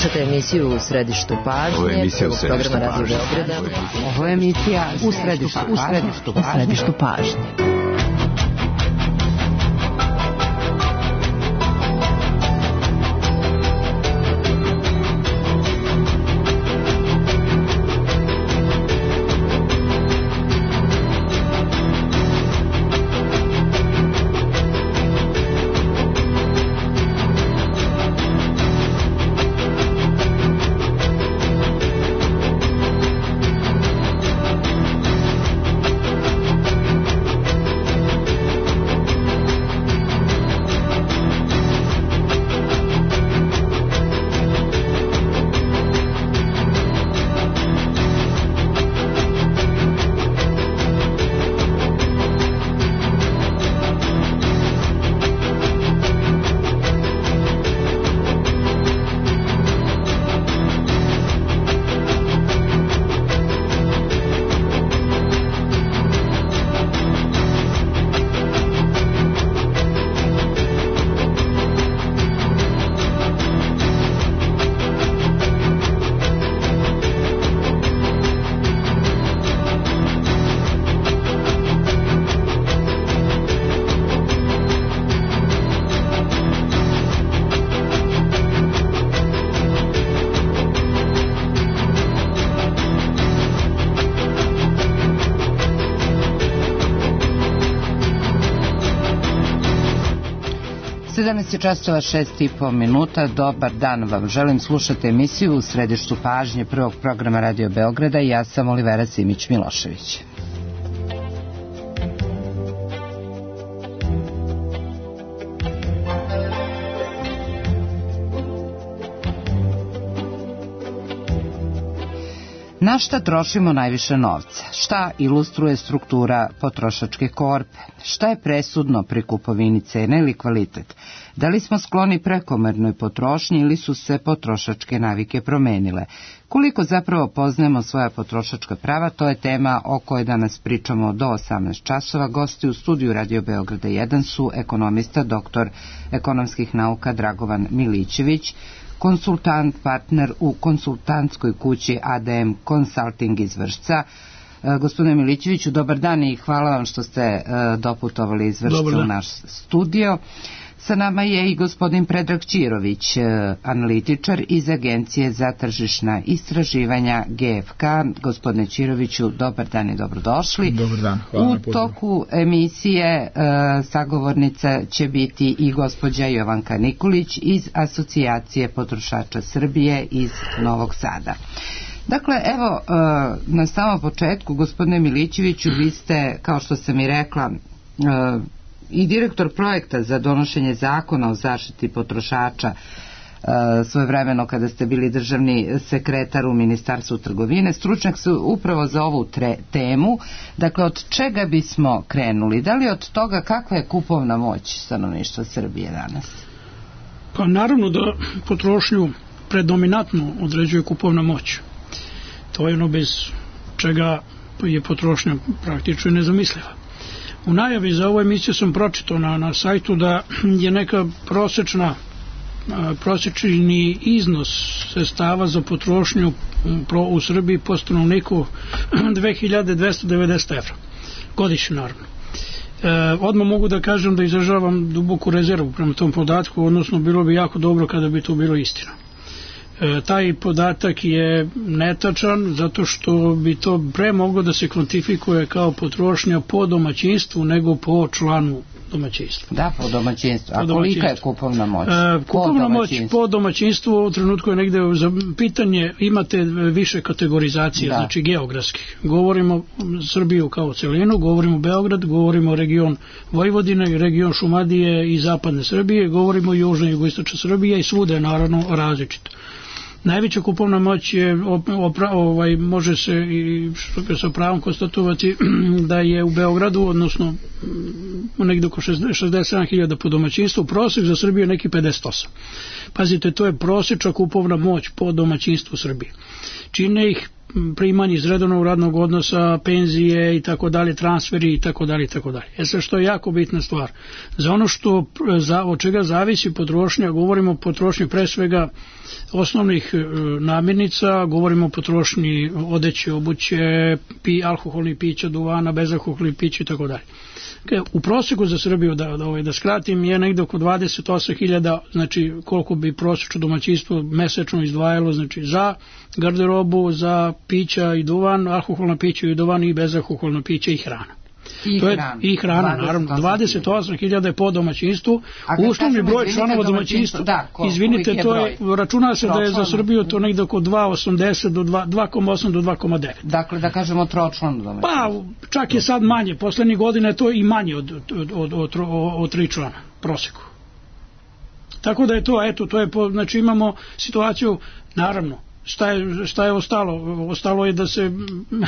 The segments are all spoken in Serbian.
Slušate emisiju U središtu pažnje, programa Radio Beograda. Ovo je emisija U središtu pažnje. Časova 6:30. Dobar dan vam. Želim, slušati emisiju U središtu pažnje prvog programa Radio Beograda i ja sam Olivera Simić-Milošević. Na šta trošimo najviše novca? Šta ilustruje struktura potrošačke korpe? Šta je presudno pri kupovini, cena ili kvalitet? Da li smo skloni prekomernoj potrošnji ili su se potrošačke navike promenile? Koliko zapravo poznajemo svoja potrošačka prava, to je tema o kojoj danas pričamo do 18 časova. Gosti u studiju Radio Beograda 1 su ekonomista, doktor ekonomskih nauka Dragovan Milićević, konsultant, partner u konsultantskoj kući ADM Consulting iz Vršca. Gospodine Milićeviću, dobar dan i hvala vam što ste doputovali iz Vršca u naš studio. Sa nama je i gospodin Predrag Ćirović, analitičar iz Agencije za tržišna istraživanja GFK. Gospodine Ćiroviću, dobar dan i dobrodošli. Dobar dan, hvala na pozivu. U toku emisije sagovornica će biti i gospođa Jovanka Nikolić iz Asocijacije potrošača Srbije iz Novog Sada. Dakle, evo, na samom početku, gospodine Milićeviću, vi ste, kao što sam i rekla, i direktor projekta za donošenje zakona o zaštiti potrošača svojevremeno kada ste bili državni sekretar u Ministarstvu trgovine. Stručnjak su upravo za ovu temu. Dakle, od čega bismo krenuli? Da li od toga kakva je kupovna moć stanovništva Srbije danas? Pa naravno da potrošnju predominantno određuje kupovna moć. To je ono bez čega je potrošnja praktično nezamisliva. U najavi za ovu emisiju sam pročitao na sajtu da je neka prosječni iznos sredstava za potrošnju u Srbiji po stanovniku 2290 evra. Godišnje, naravno. Odmah mogu da kažem da izražavam duboku rezervu prema tom podatku, odnosno bilo bi jako dobro kada bi to bilo istina. Taj podatak je netačan zato što bi to pre moglo da se kvantifikuje kao potrošnja po domaćinstvu nego po članu domaćinstva. Da, po domaćinstvu. A kolika je kupovna moć? Kupovna moć po domaćinstvu u trenutku je negde za pitanje, imate više kategorizacije, znači geografskih. Govorimo Srbiju kao celinu, govorimo Beograd, govorimo region Vojvodine, region Šumadije i zapadne Srbije, govorimo južna i jugoistočna Srbija i svuda je naravno različito. Najveća kupovna moć je, može se i sa pravom konstatovati da je u Beogradu, odnosno negdje oko 67.000 po domaćinstvu, prosjek za Srbiju je neki 58. Pazite, to je prosječna kupovna moć po domaćinstvu Srbije. Čine ih primanje iz redovnog radnog odnosa, penzije i tako dalje, transferi i tako dalje i tako dalje. Sad što je jako bitna stvar. Za ono od čega zavisi potrošnja, govorimo o potrošnji pre svega osnovnih namirnica, govorimo o potrošnji odeće, obuće, alkoholnih pića, duvana, bezalkoholnih pića i tako dalje. U prosjeku za Srbiju, da skratim, je negde oko 28.000, znači koliko bi prosječno domaćinstvo mesečno izdvajalo, znači za garderobu, za pića i duvan, alkoholna pića i duvan i bezalkoholna pića i hrana. I hrana, naravno, 28.000 je po domaćinstvu, uslovni broj članova domaćinstva, izvinite, to je, računa se da je za Srbiju to negde oko 2,80 do 2,8 do 2,9. Dakle, da kažemo tročlano domaćinstvo. Pa, čak je sad manje, poslednjih godina je to i manje od 3 člana, proseku. Tako da je to, eto, to je, znači imamo situaciju, naravno, šta je ostalo? Ostalo je da se,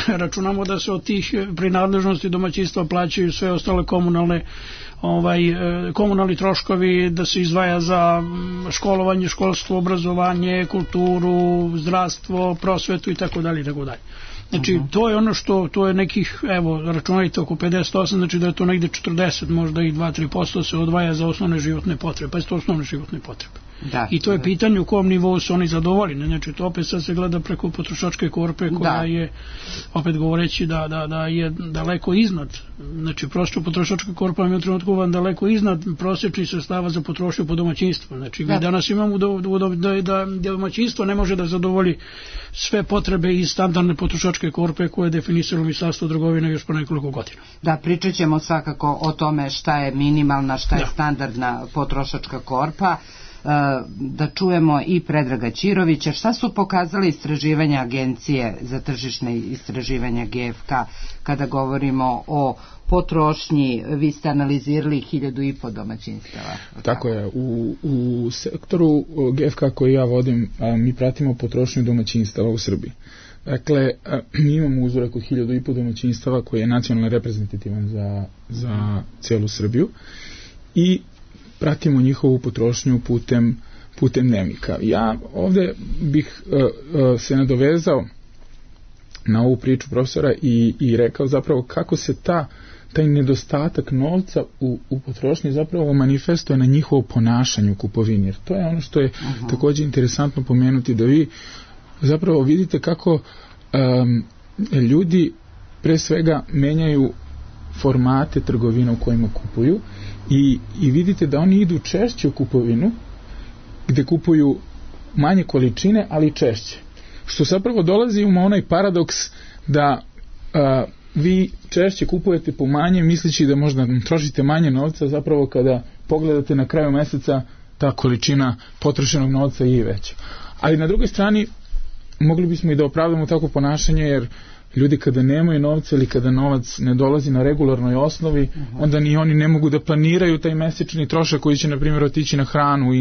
računamo da se od tih prinadležnosti domaćinstva plaćaju sve ostale komunalni troškovi, da se izdvaja za školovanje, školstvo, obrazovanje, kulturu, zdravstvo, prosvetu i tako dalje i tako dalje. Znači, to je ono što, to je nekih, evo, računajte oko 58, znači da je to negde 40, možda i 2-3% se odvaja za osnovne životne potrebe, pa je to osnovne životne potrebe. I to je pitanje u kom nivou su oni zadovoljni, znači to opet sad se gleda preko potrošačke korpe koja je, opet govoreći da je daleko iznad, znači prosto potrošačka korpa je u trenutku vam daleko iznad prosječnih sredstava za potrošnju po domaćinstvu, znači mi danas imamo da domaćinstvo ne može da zadovolji sve potrebe iz standardne potrošačke korpe koje je definisalo Ministarstvo trgovine još po nekoliko godina. Da, pričat ćemo svakako o tome šta je minimalna, šta je standardna potrošačka korpa. Da čujemo i Predraga Ćirovića. Šta su pokazali istraživanja Agencije za tržišne istraživanja GFK kada govorimo o potrošnji? Vi ste analizirali 1.500 domaćinstava. Tako je. U sektoru GFK koji ja vodim, mi pratimo potrošnju domaćinstava u Srbiji. Dakle, mi imamo uzorak od 1.500 domaćinstava koji je nacionalno reprezentativan za celu Srbiju i pratimo njihovu potrošnju putem dnevnika. Ja ovde bih se nadovezao na ovu priču profesora i rekao zapravo kako se taj nedostatak novca u potrošnji zapravo manifestuje na njihovo ponašanje u kupovini. Jer to je ono što je također interesantno pomenuti, da vi zapravo vidite kako ljudi pre svega menjaju formate trgovina u kojima kupuju i vidite da oni idu češće u kupovinu gde kupuju manje količine, ali češće. Što zapravo dolazi u onaj paradoks da vi češće kupujete po manje misleći da možda trošite manje novca, zapravo kada pogledate na kraju meseca ta količina potrošenog novca je i veća. Ali na drugoj strani mogli bismo i da opravdamo tako ponašanje, jer ljudi kada nemaju novca ili kada novac ne dolazi na regularnoj osnovi, onda ni oni ne mogu da planiraju taj mesečni trošak koji će, na primjer, otići na hranu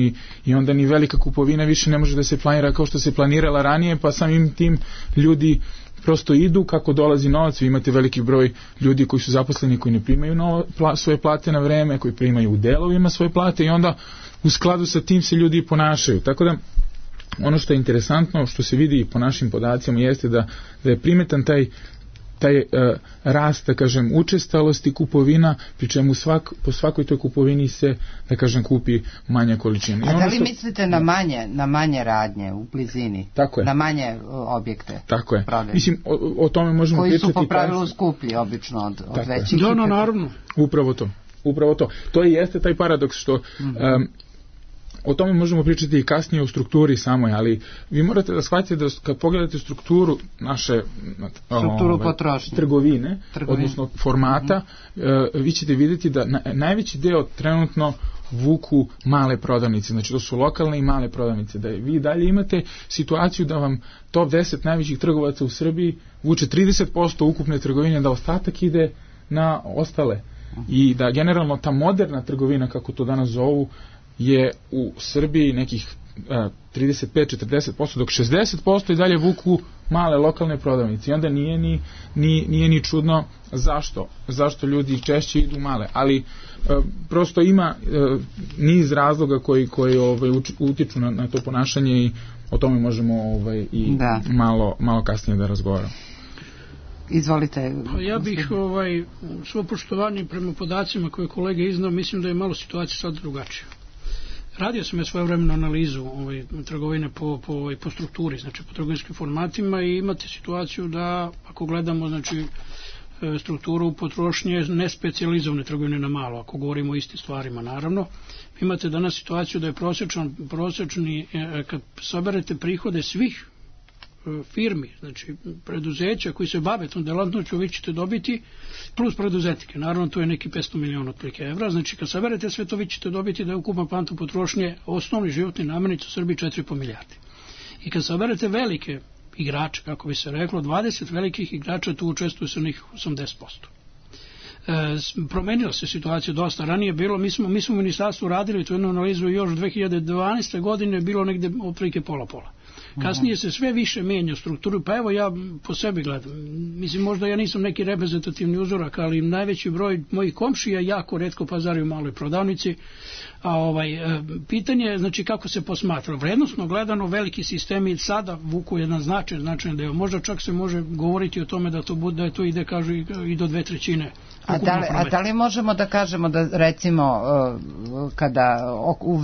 i onda ni velika kupovina više ne može da se planira kao što se planirala ranije, pa samim tim ljudi prosto idu kako dolazi novac. Vi imate veliki broj ljudi koji su zaposleni, koji ne primaju svoje plate na vreme, koji primaju u delovima svoje plate i onda u skladu sa tim se ljudi ponašaju. Tako da ono što je interesantno, što se vidi po našim podacima, jeste da je primetan taj rast, da kažem, učestalosti kupovina, pri čemu po svakoj toj kupovini se, da kažem, kupi manja količina. A da li mislite na manje radnje u blizini? Tako je. Na manje objekte? Tako je. Prodajne. Mislim, o tome možemo pričati. Koji su po pravilu skuplji, obično, od većih. Da, naravno. Upravo to. To i jeste taj paradoks što o tome možemo pričati i kasnije u strukturi samoj, ali vi morate da shvatite da kad pogledate strukturu naše trgovine, odnosno formata, vi ćete vidjeti da najveći deo trenutno vuku male prodavnice, znači to su lokalne i male prodavnice, da vi dalje imate situaciju da vam top 10 najvećih trgovaca u Srbiji vuče 30% ukupne trgovine, da ostatak ide na ostale i da generalno ta moderna trgovina, kako to danas zovu, je u Srbiji nekih 35-40%, dok 60% i dalje vuku male lokalne prodavnice. I onda nije ni čudno zašto ljudi češće idu male. Ali prosto ima niz razloga koji utiču na to ponašanje i o tome možemo i malo kasnije da razgovaramo. Izvolite. Ja bih svo poštovanje prema podacima koje kolega iznao, mislim da je malo situacija sad drugačija. Radio sam ja svojevremenu analizu trgovine po strukturi, znači po trgovinskim formatima, i imate situaciju da ako gledamo znači strukturu potrošnje nespecijalizovane trgovine na malo, ako govorimo o istim stvarima naravno, imate danas situaciju da je prosječni, kad saberete prihode svih firmi, znači preduzeća koji se bave tom delatnošću, vi ćete dobiti, plus preduzetnike, naravno to je neki 500 miliona otprilike evra, znači kad saberete sve to vi ćete dobiti da je ukupan kvantum potrošnje osnovni životni namirnica u Srbiji 4,5 milijardi. I kad saberete velike igrače, kako bi se reklo, 20 velikih igrača tu učestvuju sa njih 80%. Promenila se situacija dosta. Ranije bilo, mi smo u ministarstvu radili tu jednu analizu još 2012. godine, bilo negde otprilike pola-pola. Kasnije se sve više menja strukturu, pa evo ja po sebi gledam. Mislim, možda ja nisam neki reprezentativni uzorak, ali najveći broj mojih komšija jako retko pazari u maloj prodavnici. A pitanje je, znači, kako se posmatra. Vrednostno gledano, veliki sistemi sada vuku jedan značajan deo. Možda čak se može govoriti o tome da to ide, kažu, i do 2/3. A da li možemo da kažemo da recimo kada u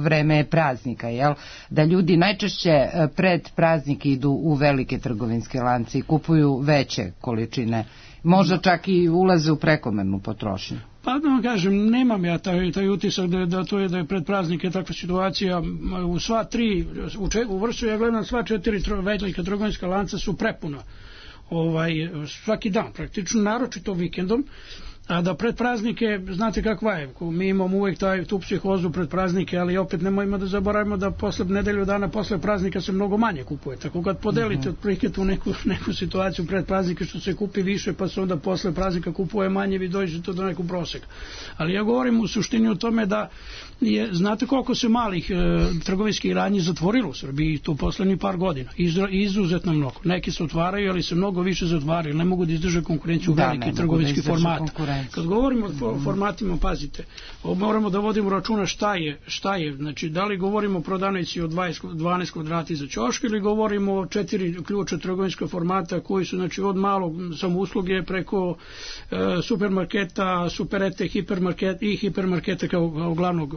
vreme praznika, da ljudi najčešće pred praznike idu u velike trgovinske lance i kupuju veće količine, možda čak i ulaze u prekomernu potrošnju? Pa da vam kažem, nemam ja taj utisak da je pred praznike takva situacija. U sva tri, u vrstu ja gledam, sva 4 velika trgovinska lanca su prepuna svaki dan praktično, naročito vikendom, a da pred praznike, znate kakva je, mi imamo uvijek tu psihozu pred praznike, ali opet nemojmo da zaboravimo da posle nedelju dana posle praznika se mnogo manje kupuje, tako kad podelite otprilike tu neku situaciju pred praznike što se kupi više pa se onda posle praznika kupuje manje, vi dođete do nekog proseka. Ali ja govorim u suštini o tome da znate koliko se malih trgovinskih radnji zatvorilo u Srbiji tu poslednjih par godina, izuzetno mnogo. Neki se otvaraju, ali se mnogo više zatvaraju, ne mogu da izdrže konkurenciju velikih trgovinskih formata. Kad govorimo o formatima, pazite, moramo da vodimo računa šta je, znači da li govorimo o prodavnici od 12 kvadrata za ćoške ili govorimo o 4 ključa trgovinskog formata koji su, znači, od malog samousluge preko supermarketa, superete, hipermarketa kao glavnog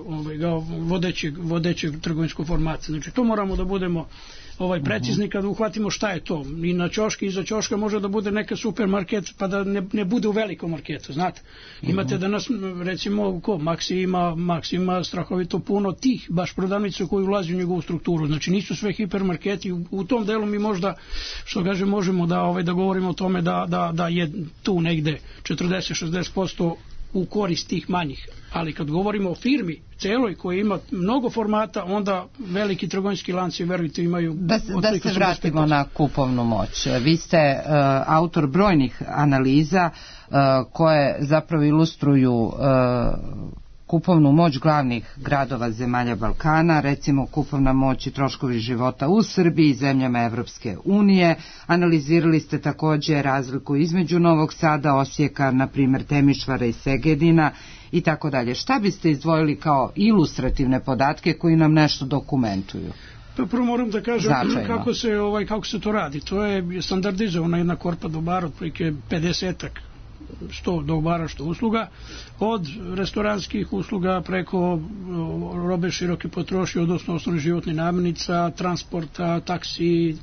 vodećeg trgovinskog formata. Znači to moramo da budemo precizni kada uhvatimo šta je to. I na ćoški, iza ćoška može da bude neka supermarket pa da ne bude u velikom marketu, znate. Imate danas, recimo, Maxi ima strahovito puno tih baš prodavnica koji ulazi u njegovu strukturu. Znači nisu sve hipermarketi. U tom delu mi možda, što kaže, možemo da govorimo o tome da je tu negde 40-60% u korist tih manjih. Ali kad govorimo o firmi celoj koja ima mnogo formata, onda veliki trgovinski lanci, verujte, imaju... Da se vratimo na kupovnu moć. Vi ste autor brojnih analiza koje zapravo ilustruju kupovnu moć glavnih gradova zemalja Balkana, recimo kupovna moć i troškovi života u Srbiji i zemljama Evropske unije. Analizirali ste također razliku između Novog Sada, Osijeka, na primjer Temišvara i Segedina i tako dalje. Šta biste izdvojili kao ilustrativne podatke koji nam nešto dokumentuju? Prvo moram da kažem kako se to radi. To je standardizovana jedna korpa dobara, otprilike 50-ak, 100 dobara, što usluga, od restoranskih usluga preko robe široke potrošnje, odnosno osnovnih životnih namirnica, transporta, taksi,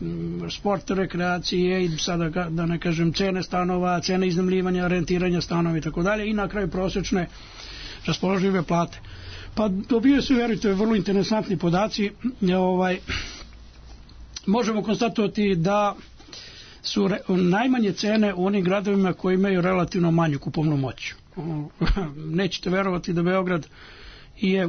sporta, rekreacije i sada da ne kažem cene stanova, cene iznajmljivanja, rentiranja stanova i tako dalje, i na kraju prosječne raspoložive plate. Pa dobio se, verujte, vrlo interesantni podaci. Možemo konstatovati da su najmanje cene u onim gradovima koji imaju relativno manju kupovnu moć. Nećete verovati da Beograd je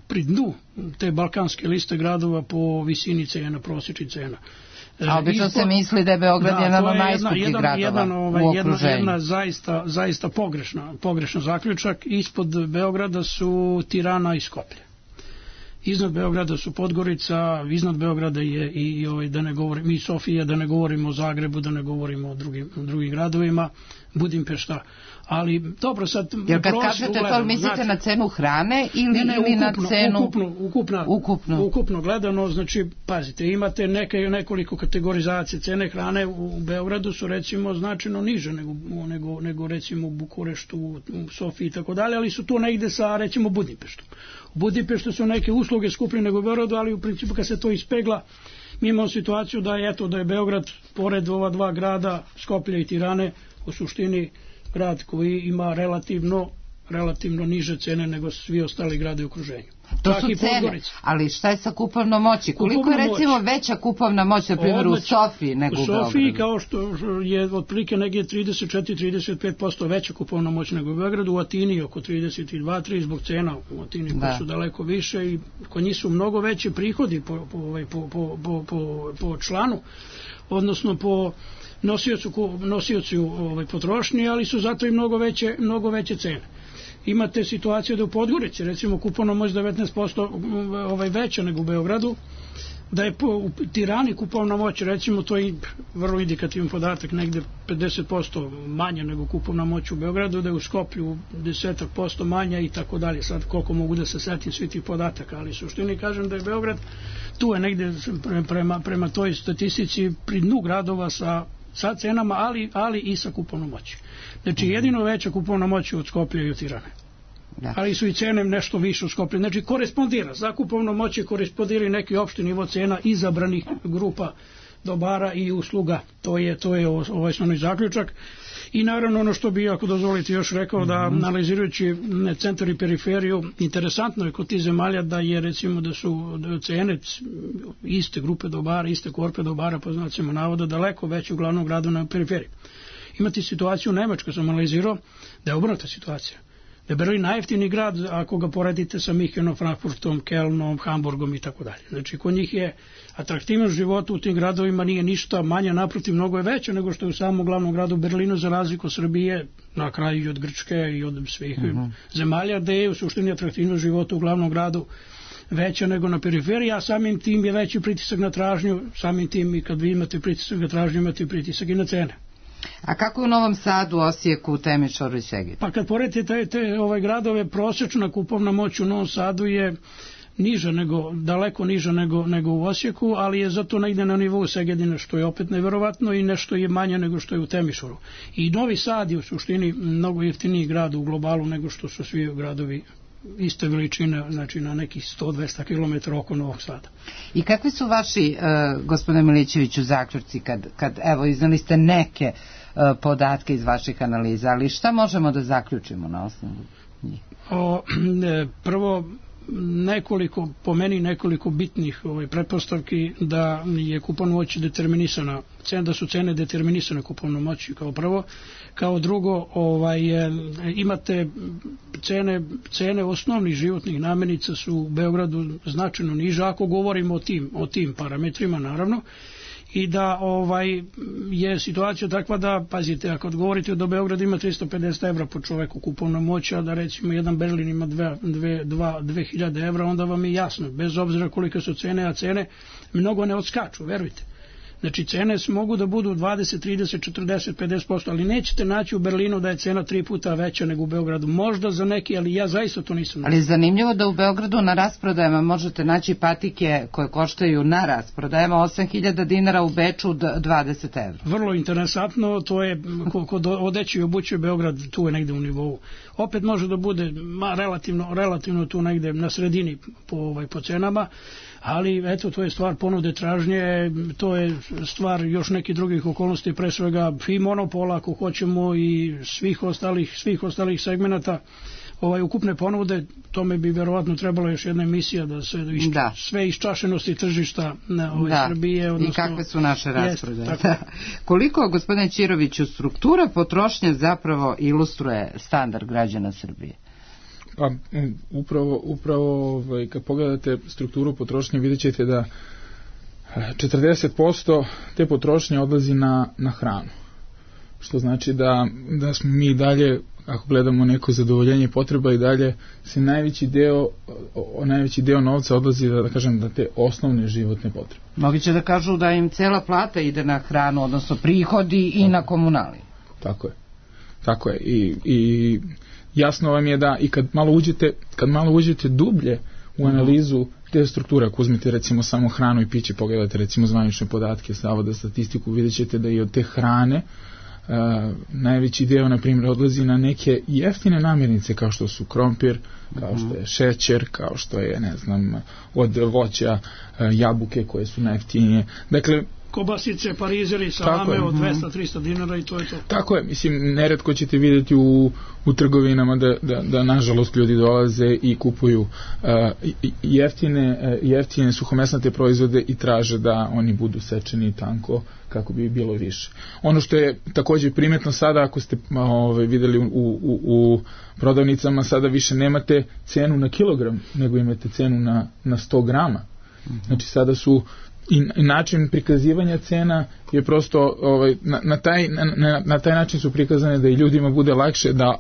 pri dnu te balkanske liste gradova po visini cena, prosječnih cena. A obično se misli da je Beograd jedan od najskupljih gradova u okruženju. Jedna zaista pogrešna zaključak. Ispod Beograda su Tirana i Skoplje. Iznad Beograda su Podgorica, iznad Beograda je i Sofija, da ne govorimo o Zagrebu, da ne govorimo o drugim gradovima, Budimpešta. Ali dobro sad... Jer kad kažete to, mislite na cenu hrane ili na cenu... Ukupno gledano, znači, pazite, imate nekoliko kategorizacije. Cene hrane u Beogradu su recimo značajno niže nego recimo u Bukureštu, u Sofiji i tako dalje, ali su tu negde sa recimo Budimpeštom. U Budimpeštu su neke usluge skuplje nego u Beogradu, ali u principu kad se to ispegla, mi imamo situaciju da je Beograd, pored ova dva grada, Skoplje i Tirane, u suštini grad koji ima relativno niže cene nego svi ostali grade u okruženju. To su cene, ali šta je sa kupovnom moći? Koliko je recimo veća kupovna moć, na primjer, u Sofiji nego u Beogradu? U Sofiji kao što je otprilike negdje 34-35% veća kupovna moć nego u Beogradu, u Atini oko 32-3% zbog cena u Atini koje su daleko više i kod njih su mnogo veće prihodi po članu, odnosno po nosiocu potrošnje, ali su zato i mnogo veće cene. Imate situaciju da u Podgorici, recimo, kupovna moć 19% veća nego u Beogradu, da je u Tirani kupovna moć, recimo, to je vrlo indikativan podatak, negde 50% manja nego kupovna moć u Beogradu, da je u Skoplju 10% manja i tako dalje. Sad koliko mogu da se setim svi tih podataka, ali suštini kažem da je Beograd, tu je negde prema toj statistici pri dnu gradova sa cenama, ali i sa kupovnom moći. Znači, jedino veća kupovna moć od Skoplja i od Tirane. Ali su i cene nešto više u Skoplju. Znači, korespondira. Za kupovnu moć korespondira i neki opšti nivo cena izabranih grupa dobara i usluga. To je osnovni zaključak. I naravno ono što bi, ako dozvolite, još rekao, da analizirajući centar i periferiju, interesantno je kod tih zemalja da je, recimo, da su cene iste grupe dobara, iste korpe dobara, po znacima navoda, daleko veće u glavnom gradu na periferiji. Imate situaciju u Nemačkoj, sam analizirao, da je obrnuta situacija. Da je Berlin najjeftiniji grad ako ga poredite sa Minhenom, Frankfurtom, Kelnom, Hamburgom i tako dalje. Znači, kod njih je atraktivnost života u tim gradovima nije ništa manja, naprotiv, mnogo je veća nego što je u samom glavnom gradu Berlinu, za razliku od Srbije, na kraju i od Grčke i od svih zemalja, gde je u suštini atraktivnost života u glavnom gradu veća nego na periferiji, a samim tim je veći pritisak na tražnju, samim tim i kad vi imate pritisak na tražnju, imate pritisak i na cene. A kako je u Novom Sadu, Osijeku, Temišvaru i Segedinu? Pa kad poredite te gradove, prosječna kupovna moć u Novom Sadu je niža daleko niža nego u Osijeku, ali je zato negde na nivou Segedina, što je opet neverovatno, i nešto je manje nego što je u Temišvaru. I Novi Sad je u suštini mnogo jeftiniji grad u globalu nego što su svi gradovi iste veličine, znači na nekih 100-200 km oko Novog Sada. I kakvi su vaši, gospodine Milićeviću, zaključci kad evo, iznali ste neke podatke iz vaših analiza, ali šta možemo da zaključimo na osnovu njih? Prvo, po meni nekoliko bitnih pretpostavki da je kupovna moć determinisana, da su cene determinisane kupovnom moći kao prvo. Kao drugo, imate cene osnovnih životnih namirnica su u Beogradu značajno niže, ako govorimo o tim parametrima, naravno, i da je situacija takva da, pazite, ako govorite da Beograd ima 350 evra po čoveku kupovna moć, a da recimo jedan Berlin ima 2000 evra, onda vam je jasno, bez obzira kolike su cene, a cene mnogo ne odskaču, verujte. Znači, cene mogu da budu 20, 30, 40, 50%, ali nećete naći u Berlinu da je cena 3 puta veća nego u Beogradu. Možda za neki, ali ja zaista to nisam. Ali je zanimljivo da u Beogradu na rasprodajama možete naći patike koje koštaju na rasprodajama 8.000 dinara, u Beču 20 evra. Vrlo interesantno, to je, kod odeće i obuće Beograd, tu je negde u nivou. Opet može da bude relativno tu negde na sredini po cenama, ali eto, to je stvar ponude tražnje, to je stvar još nekih drugih okolnosti, pre svega i monopola, ako hoćemo, i svih ostalih segmenata ukupne ponude. Tome bi verovatno trebalo još jedna emisija da se sve iščašenosti tržišta Srbije. I kakve su naše rasprodaje. Koliko, gospodine Ćiroviću, struktura potrošnje zapravo ilustruje standard građana Srbije? Pa upravo kad pogledate strukturu potrošnje, vidjet ćete da 40% te potrošnje odlazi na hranu. Što znači da smo mi dalje, ako gledamo neko zadovoljenje potreba, i dalje se najveći deo novca odlazi, da kažem, na te osnovne životne potrebe. Mnogi će da kažu da im cela plata ide na hranu, odnosno prihodi i na komunalije. Tako je. Tako je. I jasno vam je da i kad malo uđete dublje u analizu te strukture, ako uzmete recimo samo hranu i piće, pogledate recimo zvanične podatke Zavoda za statistiku, vidjet ćete da i od te hrane najveći deo, na primjer, odlazi na neke jeftine namirnice kao što su krompir, kao što je šećer, kao što je, ne znam, od voća jabuke koje su najjeftinije. Dakle, kobasice, parizeri, salame od 200-300 dinara i to je to. Tako je, mislim, neretko ćete vidjeti u trgovinama da nažalost ljudi dolaze i kupuju jeftine suhomesnate proizvode i traže da oni budu sečeni tanko kako bi bilo više. Ono što je također primetno sada, ako ste vidjeli u prodavnicama, sada više nemate cenu na kilogram, nego imate cenu na 100 grama. Znači sada su i način prikazivanja cena je prosto na taj način su prikazane da i ljudima bude lakše da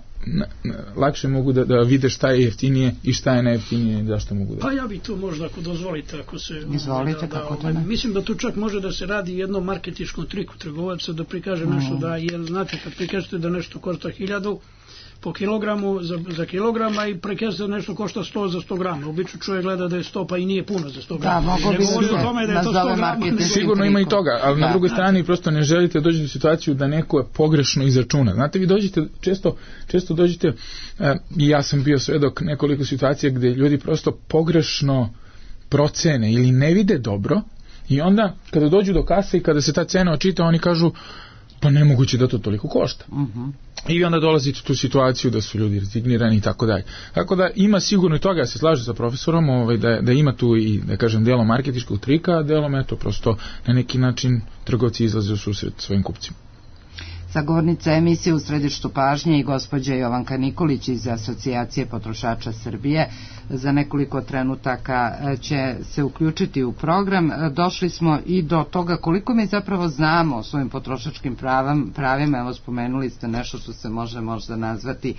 lakše mogu da vide šta je jeftinije i šta je najjeftinije i zašto mogu da. Pa ja bi tu možda, ako dozvolite, ako se izvolite, kako to ne? Mislim da tu čak može da se radi jednom marketinškom triku trgovaca da prikaže nešto da, jer znate kad prikažete da nešto košta 1000 po kilogramu za kilograma i prekazate nešto košta 100 za 100 grama. Obično čovjek gleda da je 100 pa i nije puno za 100 grama. Da, mogo bi se sigurno ima i toga, ali na drugoj strani prosto ne želite doći u situaciju da neko je pogrešno izračuna. Znate, vi dođete, često dođete, i ja sam bio svedok nekoliko situacija gdje ljudi prosto pogrešno procene ili ne vide dobro i onda kada dođu do kase i kada se ta cena očita, oni kažu pa nemoguće da to toliko košta. I onda dolazite u tu situaciju da su ljudi rezignirani i tako dalje. Tako da ima sigurno i toga, ja se slažem sa profesorom, da ima tu i, da kažem, delo marketinškog trika, a delom eto prosto na neki način trgovci izlaze u susret svojim kupcima. Sagovornica emisije U središtu pažnje i gospođa Jovanka Nikolić iz Asocijacije potrošača Srbije. Za nekoliko trenutaka će se uključiti u program. Došli smo i do toga koliko mi zapravo znamo o svojim potrošačkim pravima. Evo, spomenuli ste nešto što se može možda nazvati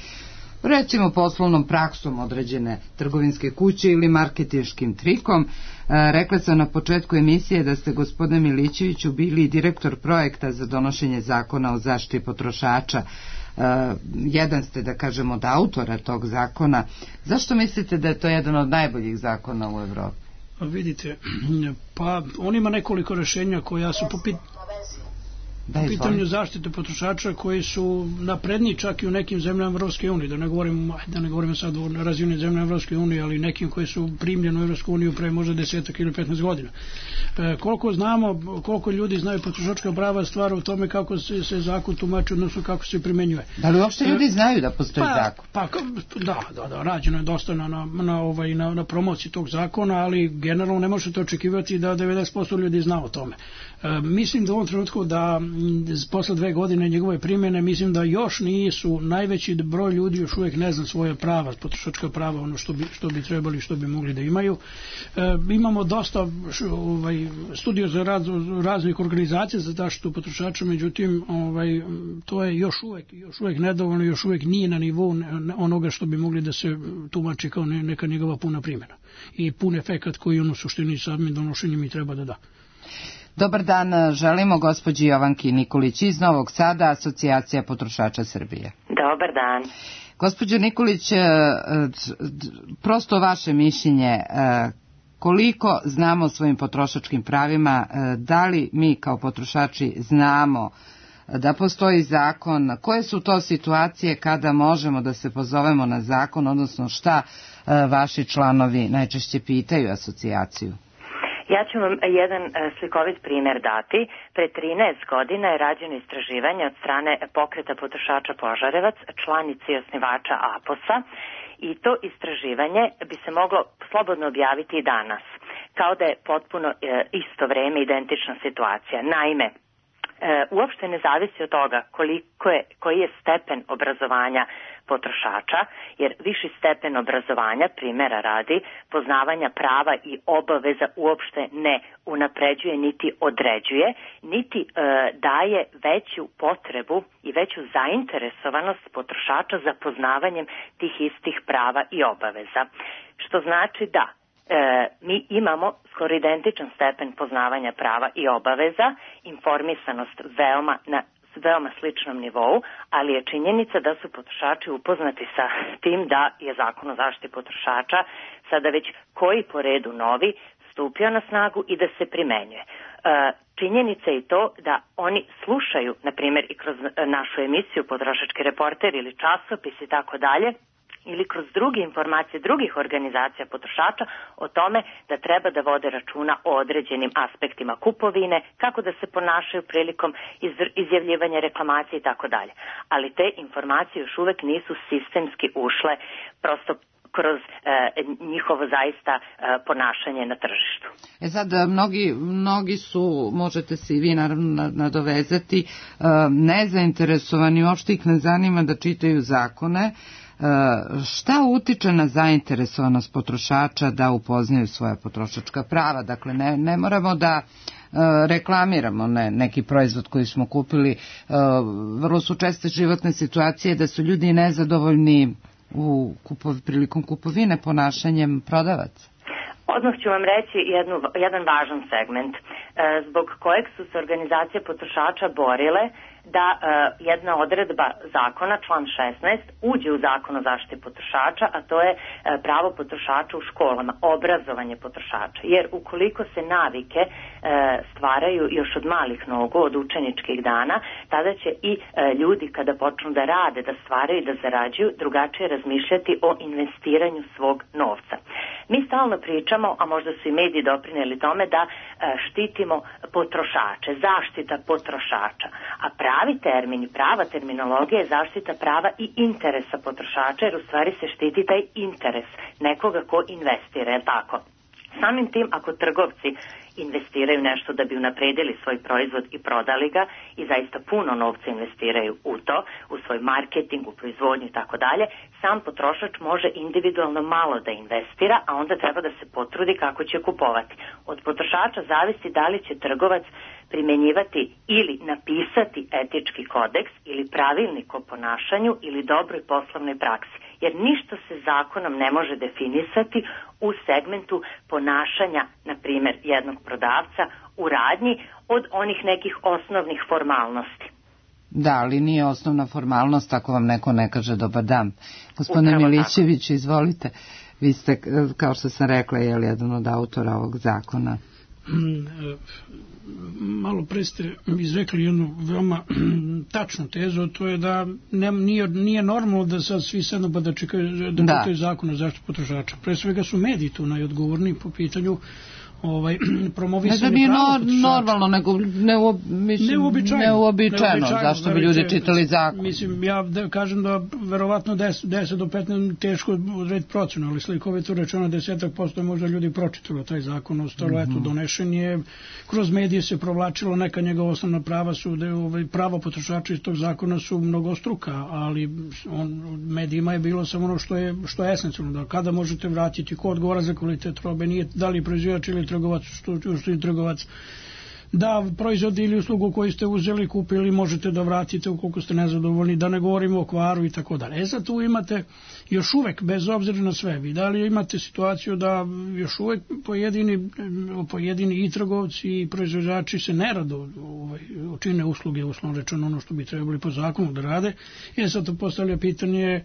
recimo poslovnom praksom određene trgovinske kuće ili marketinškim trikom. Rekla sam na početku emisije da ste, gospodine Milićeviću, bili direktor projekta za donošenje zakona o zaštiti potrošača. Jedan ste, da kažemo, od autora tog zakona. Zašto mislite da je to jedan od najboljih zakona u Evropi? Vidite, pa on ima nekoliko rešenja koja su po pitanju zaštite potrošača koji su napredni čak i u nekim zemljama Evropske unije, da ne govorimo sad o razvijenim zemljama Evropske unije, ali nekim koji su primljeni u Evropsku uniju pre možda 10 ili 15 godina. Koliko znamo, koliko ljudi znaju potrošačka prava, stvar u tome kako se zakon tumači, odnosno kako se primenjuje. Da li uopšte ljudi znaju da postoji zakon? Da, rađeno je dosta na promociji tog zakona, ali generalno ne možete očekivati da 90% ljudi zna o tome. Mislim da u ovom trenutku da posle 2 godine njegove primjene, mislim da još nisu, najveći broj ljudi još uvijek ne zna svoje prava, potrošačka prava, ono što bi trebali, što bi mogli da imaju. Imamo dosta studija za rad raznih organizacija za zaštitu potrošača, međutim to je još uvijek nedovoljno, još uvijek nije na nivou onoga što bi mogli da se tumači kao neka njegova puna primjena i pun efekat koji on u suštini samim donošenjem i treba da da. Dobar dan, želimo gospođi Jovanki Nikolić iz Novog Sada, Asocijacija potrošača Srbije. Dobar dan. Gospođo Nikolić, prosto vaše mišljenje, koliko znamo o svojim potrošačkim pravima, da li mi kao potrošači znamo da postoji zakon, koje su to situacije kada možemo da se pozovemo na zakon, odnosno šta vaši članovi najčešće pitaju asocijaciju? Ja ću vam jedan slikovit primjer dati. Pre 13 godina je rađeno istraživanje od strane Pokreta potrošača Požarevac, članici i osnivača APOS-a, i to istraživanje bi se moglo slobodno objaviti i danas, kao da je potpuno isto vreme identična situacija. Naime, uopšte ne zavisi od toga koji je stepen obrazovanja potrošača, jer viši stepen obrazovanja, primjera radi, poznavanja prava i obaveza uopšte ne unapređuje niti određuje, niti daje veću potrebu i veću zainteresovanost potrošača za poznavanjem tih istih prava i obaveza. Što znači da mi imamo skoro identičan stepen poznavanja prava i obaveza, informisanost veoma na veoma sličnom nivou, ali je činjenica da su potrošači upoznati sa tim da je zakon o zaštiti potrošača sada već koji po redu novi stupio na snagu i da se primenjuje. Činjenica je i to da oni slušaju, na primjer i kroz našu emisiju Potrošački reporter ili časopis i tako dalje, ili kroz druge informacije drugih organizacija potrošača o tome da treba da vode računa o određenim aspektima kupovine, kako da se ponašaju prilikom izjavljivanja reklamacije i tako dalje. Ali te informacije još uvek nisu sistemski ušle prosto kroz njihovo zaista ponašanje na tržištu. Sad, mnogi su, možete se i vi naravno nadovezati, nezainteresovani, uopšte ih ne zanima da čitaju zakone. Šta utiče na zainteresovanost potrošača da upoznaju svoja potrošačka prava? Dakle, ne moramo da reklamiramo neki proizvod koji smo kupili. Vrlo su česte životne situacije da su ljudi nezadovoljni prilikom kupovine ponašanjem prodavaca. Odmah ću vam reći jedan važan segment zbog kojeg su se organizacije potrošača borile da jedna odredba zakona, član 16, uđe u zakon o zaštiti potrošača, a to je pravo potrošača u školama, obrazovanje potrošača. Jer ukoliko se navike stvaraju još od malih nogu, od učeničkih dana, tada će i ljudi kada počnu da rade, da stvaraju i da zarađuju, drugačije razmišljati o investiranju svog novca. Mi stalno pričamo, a možda su i mediji doprineli tome, da štitimo potrošače, zaštita potrošača, a pravi termin i prava terminologija je zaštita prava i interesa potrošača, jer u stvari se štiti taj interes nekoga ko investira, je tako? Samim tim, ako trgovci investiraju nešto da bi unapredili svoj proizvod i prodali ga i zaista puno novca investiraju u to, u svoj marketing, u proizvodnju i tako dalje, sam potrošač može individualno malo da investira, a onda treba da se potrudi kako će kupovati. Od potrošača zavisi da li će trgovac primenjivati ili napisati etički kodeks ili pravilnik o ponašanju ili dobroj poslovnoj praksi. Jer ništa se zakonom ne može definisati u segmentu ponašanja, na primjer, jednog prodavca u radnji od onih nekih osnovnih formalnosti. Da, ali nije osnovna formalnost ako vam neko ne kaže dobar dan. Gospodine Milićević, izvolite. Vi ste, kao što sam rekla, jedan od autora ovog zakona. Malo pre ste izrekli jednu veoma tačnu tezu, to je da nije normalno da sad svi sedno pa da čekaju zakon o zaštiti potrošača. Pre svega su mediji tu najodgovorniji po pitanju promovisanje prava potrošača. Normalno, nego neuobičajeno. Zašto bi ljudi čitali zakon? Mislim, ja kažem da verovatno 10 do 15 teško odrediti procenu, ali slikovito rečeno 10% možda ljudi pročitalo taj zakon, ostalo eto donešen je, kroz medije se provlačilo, neka njegova osnovna prava su, prava potrošača iz tog zakona su mnogostruka, ali medijima je bilo samo ono što je esencijalno, da kada možete vratiti, ko odgovara za kvalitet robe, nije da li proizvođač ili trgovac, što je trgovac, da proizvod ili uslugu koju ste uzeli, kupili, možete da vratite ukoliko ste nezadovoljni, da ne govorimo o kvaru i tako dalje. Sad tu imate još uvek, bez obzira na sve, vi da li imate situaciju da još uvek pojedini i trgovci i proizvođači se nerado učine usluge, uslovno rečeno ono što bi trebali po zakonu da rade. Sad to postavlja pitanje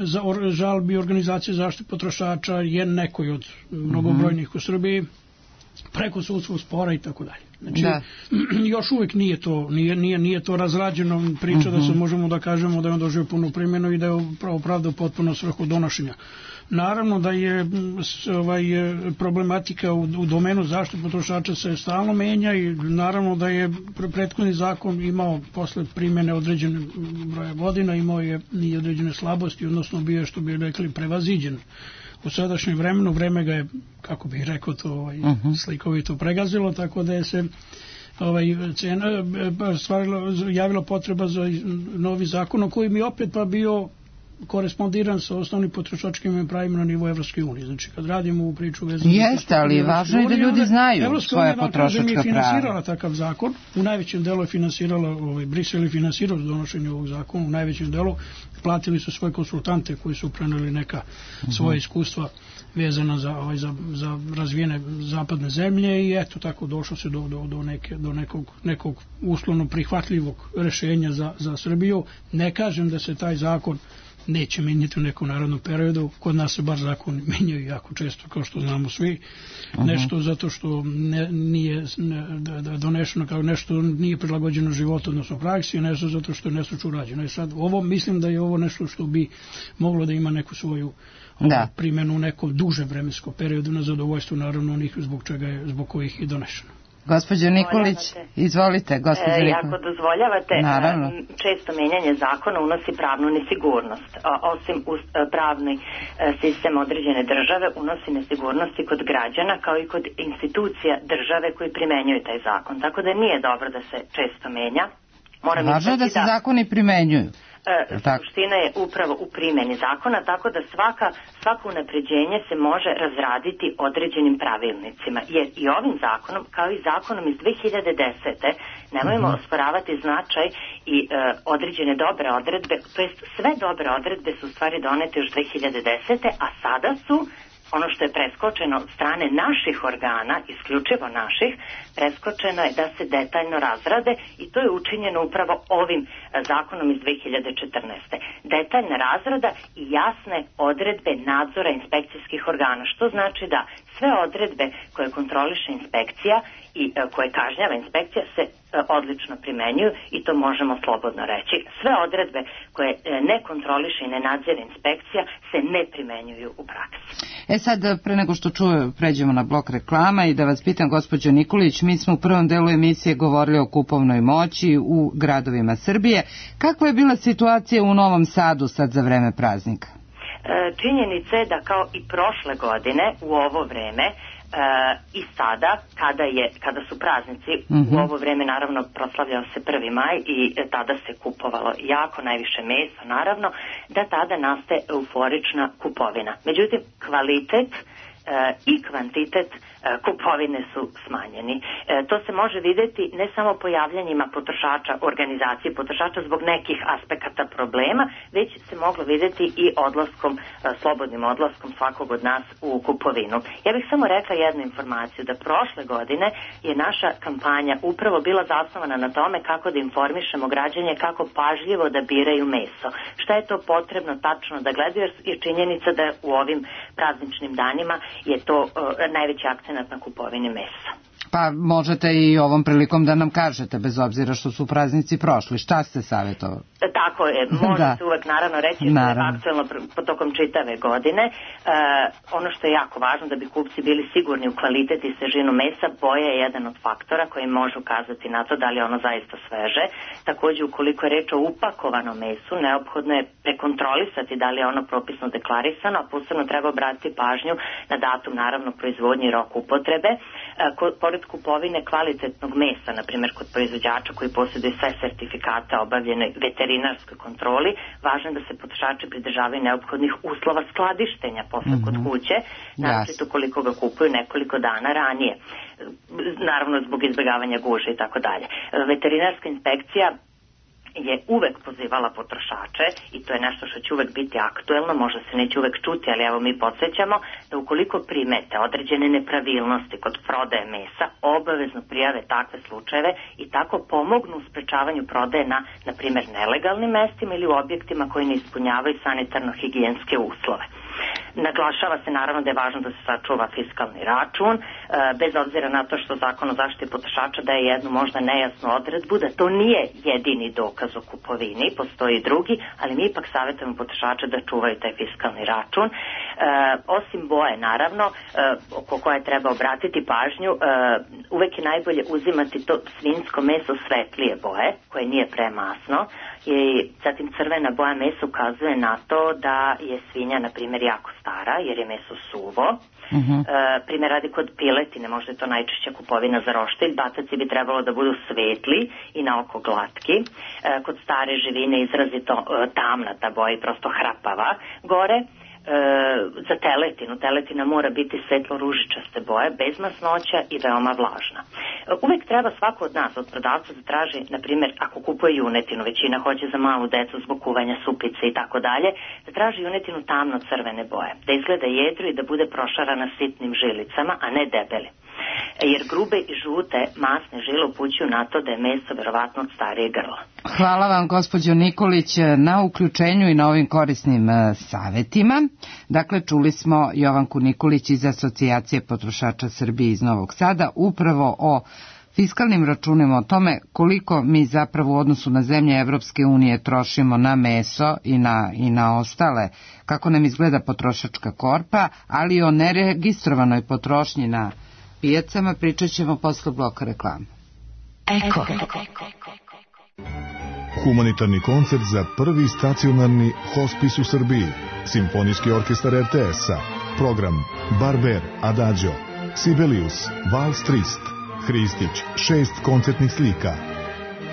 za žalbi organizacije zaštite potrošača je nekoj od mnogobrojnih u Srbiji, preko sudskog spora i tako dalje. Znači, još uvijek nije to razrađeno priča da se možemo da kažemo da je on doživio punu primjenu i da je opravdao potpuno svrhu donošenja. Naravno da je problematika u domenu zaštite potrošača se stalno menja i naravno da je prethodni zakon imao posle primjene određene broja godina, imao je i određene slabosti, odnosno bio je, što bi rekli, prevaziđen. U sadašnjem vremenu, vreme ga je, kako bih rekao to, slikovito pregazilo, tako da je se javila potreba za novi zakon, o koji mi opet pa bio korespondiran sa osnovnim potrošačkim pravima na nivou Evropske unije. Znači, kad radimo u priču vezanu... Jeste, ali važno je da ljudi znaju svoje potrošačka prava. Evropska unija je finansirala takav zakon, u najvećem delu je finansirala, Brisel je finansirao donošenje ovog zakona, u najvećem delu platili su svoje konsultante koji su preneli neka svoje iskustva vezana za razvijene zapadne zemlje i eto tako došlo se do nekog uslovno prihvatljivog rešenja za Srbiju. Ne kažem da se taj zakon neće menjati u nekom narodnom periodu, kod nas se bar zakon menjaju jako često, kao što znamo svi, nešto zato što nije donešeno, kao nešto nije prilagođeno životu, odnosno praksi, nešto zato što je nešto urađeno. I sad, mislim da je ovo nešto što bi moglo da ima neku svoju primjenu u nekom dužem vremenskom periodu, na zadovoljstvo naravno onih zbog kojih je donešeno. Gospođo Nikolić, izvolite. Ako dozvoljavate, često menjanje zakona unosi pravnu nesigurnost. Osim pravni sistem određene države unosi nesigurnosti kod građana kao i kod institucija države koji primenjuju taj zakon. Tako da nije dobro da se često menja. Važno je da se zakoni primenjuju. Suština je upravo u primjeni zakona, tako da svako unapređenje se može razraditi određenim pravilnicima. Jer i ovim zakonom, kao i zakonom iz 2010. nemojmo osporavati značaj i određene dobre odredbe, to jest sve dobre odredbe su u stvari donete još 2010. a sada su ono što je preskočeno od strane naših organa, isključivo naših, preskočeno je da se detaljno razrade i to je učinjeno upravo ovim zakonom iz 2014. Detaljna razrada i jasne odredbe nadzora inspekcijskih organa, što znači da sve odredbe koje kontroliše inspekcija i koje kažnjava inspekcija se odlično primenjuju i to možemo slobodno reći. Sve odredbe koje ne kontroliše i ne nadzire inspekcija se ne primenjuju u praksi. Sad, pre nego što pređemo na blok reklama i da vas pitam, gospođo Nikolić, mi smo u prvom delu emisije govorili o kupovnoj moći u gradovima Srbije. Kakva je bila situacija u Novom Sadu sad za vreme praznika? Činjenica je da kao i prošle godine u ovo vreme i sada, kada su praznici, u ovo vreme naravno proslavljao se 1. maj i tada se kupovalo jako najviše mesa, naravno, da tada nastaje euforična kupovina. Međutim, kvalitet i kvantitet kupovine su smanjeni. To se može vidjeti ne samo pojavljanjima potrošača, organizacije potrošača zbog nekih aspekata problema, već se moglo vidjeti i slobodnim odlaskom svakog od nas u kupovinu. Ja bih samo rekla jednu informaciju, da prošle godine je naša kampanja upravo bila zasnovana na tome kako da informišemo građane kako pažljivo da biraju meso. Šta je to potrebno tačno da gledaju, jer je činjenica da u ovim prazničnim danima je to najveći akcent na kupovini mesa. Pa možete i ovom prilikom da nam kažete, bez obzira što su praznici prošli, šta ste savjetovali? Tako je, može se uvek naravno reći što je aktuelno tokom čitave godine. Ono što je jako važno da bi kupci bili sigurni u kvalitet i svežinu mesa, boja je jedan od faktora koji može ukazati na to da li je ono zaista sveže. Također, ukoliko je reč o upakovanom mesu, neophodno je prekontrolisati da li je ono propisno deklarisano, a posebno treba obratiti pažnju na datum naravno proizvodnje i rok upotrebe. Pored kupovine kvalitetnog mesa, na primjer kod proizvođača koji posjeduju sve sertifikate obavljene veterinarskoj kontroli, važno je da se potrošači pridržavaju neophodnih uslova skladištenja posle kod kuće, naročito koliko ga kupuju nekoliko dana ranije, naravno zbog izbjegavanja guže i tako dalje. Veterinarska inspekcija je uvek pozivala potrošače i to je nešto što će uvek biti aktuelno, možda se neće uvek čuti, ali evo mi podsjećamo da ukoliko primete određene nepravilnosti kod prodaje mesa, obavezno prijave takve slučajeve i tako pomognu u sprečavanju prodaje na primjer, nelegalnim mestima ili u objektima koji ne ispunjavaju sanitarno-higijenske uslove. Naglašava se naravno da je važno da se sačuva fiskalni račun, bez obzira na to što Zakon o zaštiti potrošača daje jednu možda nejasnu odredbu da to nije jedini dokaz o kupovini, postoji drugi, ali mi ipak savjetujemo potrošače da čuvaju taj fiskalni račun. Osim boje, naravno, oko koje treba obratiti pažnju, uvek je najbolje uzimati to svinjsko meso svetlije boje, koje nije premasno, i zatim crvena boja mesa ukazuje na to da je svinja, na primjer, jako stara, jer je meso suvo. Primjer radi kod piletine, možda je to najčešća kupovina za roštilj, bataci bi trebalo da budu svetli i na oko glatki. Kod stare živine izrazito tamna ta boja i prosto hrapava gore. Za teletina mora biti svetlo ružičaste boje, bez masnoća i veoma vlažna. Uvek treba svako od nas, od prodavca, da traži, na primjer, ako kupuje junetinu, većina hoće za malu decu zbog kuvanja supice i tako dalje, da traži junetinu tamno crvene boje, da izgleda jedro i da bude prošarana sitnim žilicama, a ne debeli. Jer grube i žute masne žile upućuju na to da je meso verovatno od starije grla. Hvala vam, gospođo Nikolić, na uključenju i na ovim korisnim savetima. Dakle, čuli smo Jovanku Nikolić iz Asocijacije potrošača Srbije iz Novog Sada upravo o fiskalnim računima, o tome koliko mi zapravo u odnosu na zemlje Evropske unije trošimo na meso i na ostale, kako nam izgleda potrošačka korpa, ali o neregistrovanoj potrošnji na pijacama pričat ćemo posle bloka reklama. Eko. Humanitarni koncert za prvi stacionarni hospis u Srbiji. Simfonijski orkestar RTS-a. Program Barber, Adagio, Sibelius, Vals Trist, Hristić, 6 koncertnih slika.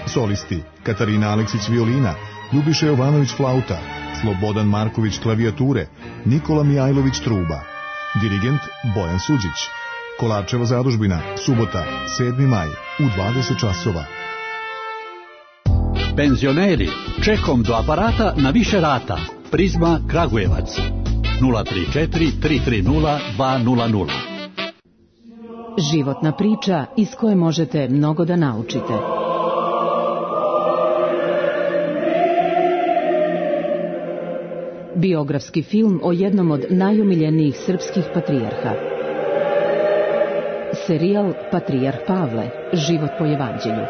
Solisti Katarina Aleksić violina, Ljubiša Jovanović flauta, Slobodan Marković klavijature, Nikola Mijajlović truba. Dirigent Bojan Suđić. Kolarčeva zadužbina, subota, 7. maj, u 20 časova. Penzioneri, čekom do aparata na više rata. Prizma Kragujevac. 034 330 200. Životna priča iz koje možete mnogo da naučite. Biografski film o jednom od najomiljenijih srpskih patrijarha. Serijal Patrijarh Pavle, život po evanđelju.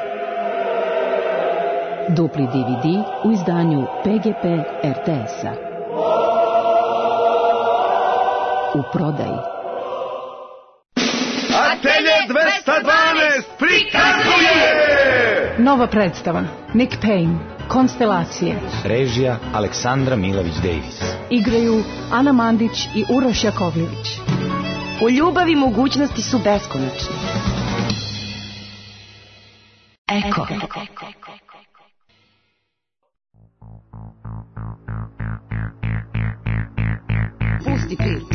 Dupli DVD u izdanju PGP RTS-a. U prodaji. Atelje 212 prikazuje! Nova predstava. Nick Payne, Konstelacije. Režija Aleksandra Milović-Davis. Igraju Ana Mandić i Uroš Jakovljević. U ljubavi mogućnosti su beskonačne. Eko. Pusti priču.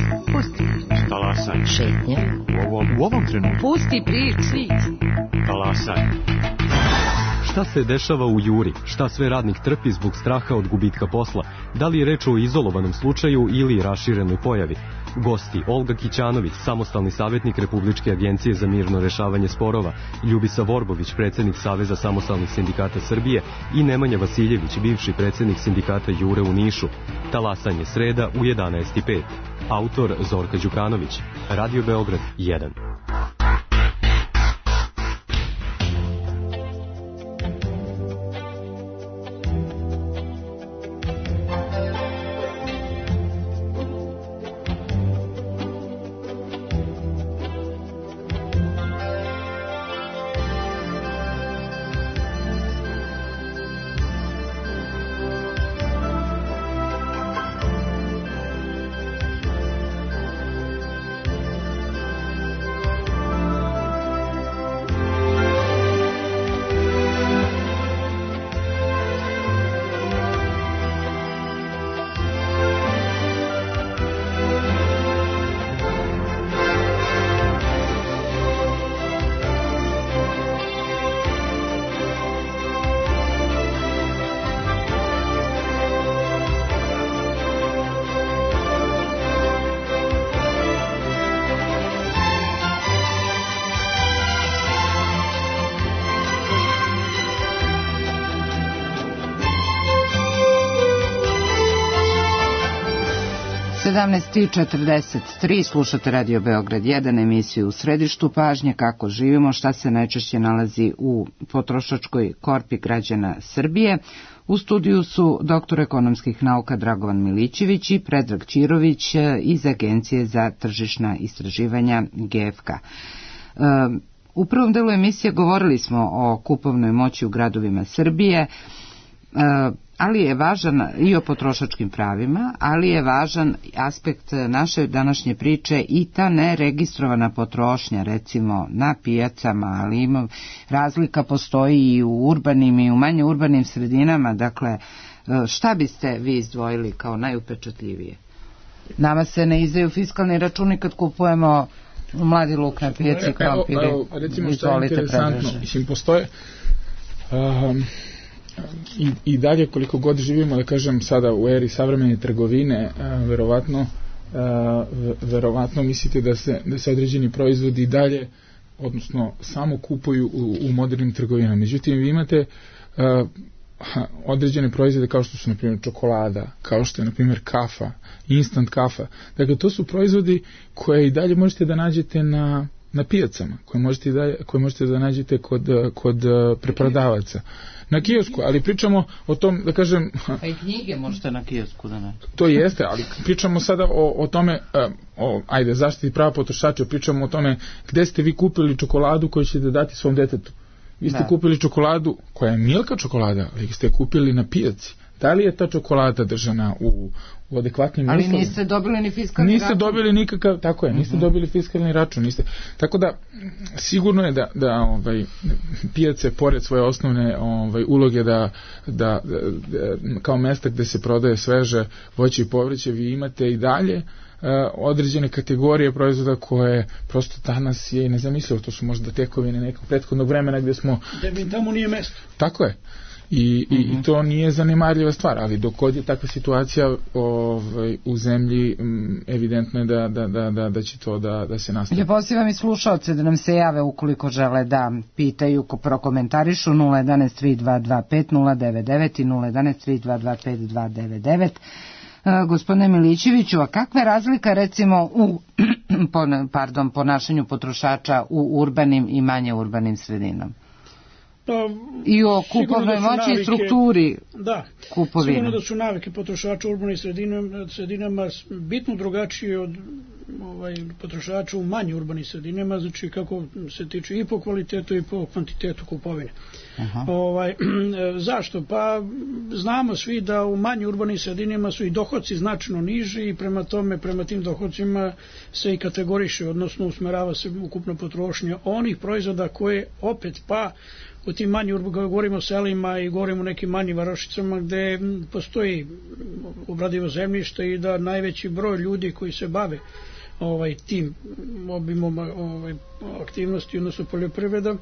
Talasaj. Šetnja. U ovom trenutku. Pusti priču. Talasaj. Šta se dešava u Juri? Šta sve radnik trpi zbog straha od gubitka posla? Da li je reč o izolovanom slučaju ili raširenoj pojavi? Gosti: Olga Kićanović, samostalni savjetnik Republičke agencije za mirno rešavanje sporova, Ljubisa Vorbović, predsjednik Saveza samostalnih sindikata Srbije i Nemanja Vasiljević, bivši predsjednik sindikata Jure u Nišu. Talasanje, sreda u 11:05. Autor Zorka Đukanović. Radio Beograd 1. (17:43) slušate Radio Beograd 1, emisiju U središtu pažnje, kako živimo, šta se najčešće nalazi u potrošačkoj korpi građana Srbije. U studiju su doktor ekonomskih nauka Dragovan Milićević i Predrag Ćirović iz Agencije za tržišna istraživanja GFK. U prvom delu emisije govorili smo o kupovnoj moći u gradovima Srbije, ali je važan i o potrošačkim pravima, ali je važan aspekt naše današnje priče i ta neregistrovana potrošnja, recimo na pijacama, ali razlika postoji i u urbanim i u manje urbanim sredinama. Dakle, šta biste vi izdvojili kao najupečatljivije? Nama se ne izdaju fiskalni računi kad kupujemo mladi luk na pijaci, krompire. Recimo što je interesantno, mislim, postoje i dalje koliko god živimo, da kažem, sada u eri savremene trgovine, verovatno mislite da se određeni proizvodi i dalje, odnosno samo kupuju u modernim trgovinama. Međutim, vi imate određene proizvode kao što su, na primjer, čokolada, kao što je, na primjer, kafa, instant kafa. Dakle, to su proizvodi koje i dalje možete da nađete na pijacama, koje možete da nađete kod preprodavaca na kiosku, ali pričamo o tom, da kažem... Pa i knjige možete na kiosku da nađete. To jeste, ali pričamo sada o tome, ajde, zaštiti prava potrošača, pričamo o tome gde ste vi kupili čokoladu koju ćete dati svom detetu. Vi ste kupili čokoladu koja je Milka čokolada, ali ste kupili na pijaci. Da li je ta čokolada držana u adekvatnim uslovima? Ali niste dobili ni fiskalni račun. Niste dobili nikakav, tako je, niste dobili fiskalni račun. Tako da, sigurno je da pijace, pored svoje osnovne uloge da kao mesta gde se prodaje sveže voće i povrće, vi imate i dalje određene kategorije proizvoda koje prosto danas je i nezamislivo. To su možda tekovine nekog prethodnog vremena gde smo... Da tamo nije mesto. Tako je. I to nije zanemarljiva stvar, ali dok god je takva situacija u zemlji, evidentno je da će to da se nastavi. Ja pozivam i slušaoce da nam se jave ukoliko žele da pitaju, prokomentarišu 011-3225-099 i 011-3225-299. Gospodine Milićeviću, a kakva je razlika recimo u ponašanju potrošača u urbanim i manje urbanim sredinama? I o kupovnoj moći i strukturi kupovine. Sigurno da su navike potrošača u urbanim sredinama bitno drugačije od potrošača u manje urbanim sredinama, znači kako se tiče i po kvalitetu i po kvantitetu kupovine. Zašto? Pa znamo svi da u manje urbanim sredinama su i dohodci značajno niži i prema tome, prema tim dohodcima se i kategoriše, odnosno usmerava se ukupna potrošnja onih proizvoda koje opet u tim manjim, govorimo o selima i govorimo o nekim manjim varošicama gde postoji obradivo zemljište i da najveći broj ljudi koji se bave tim obimom aktivnosti, odnosno poljoprivreda,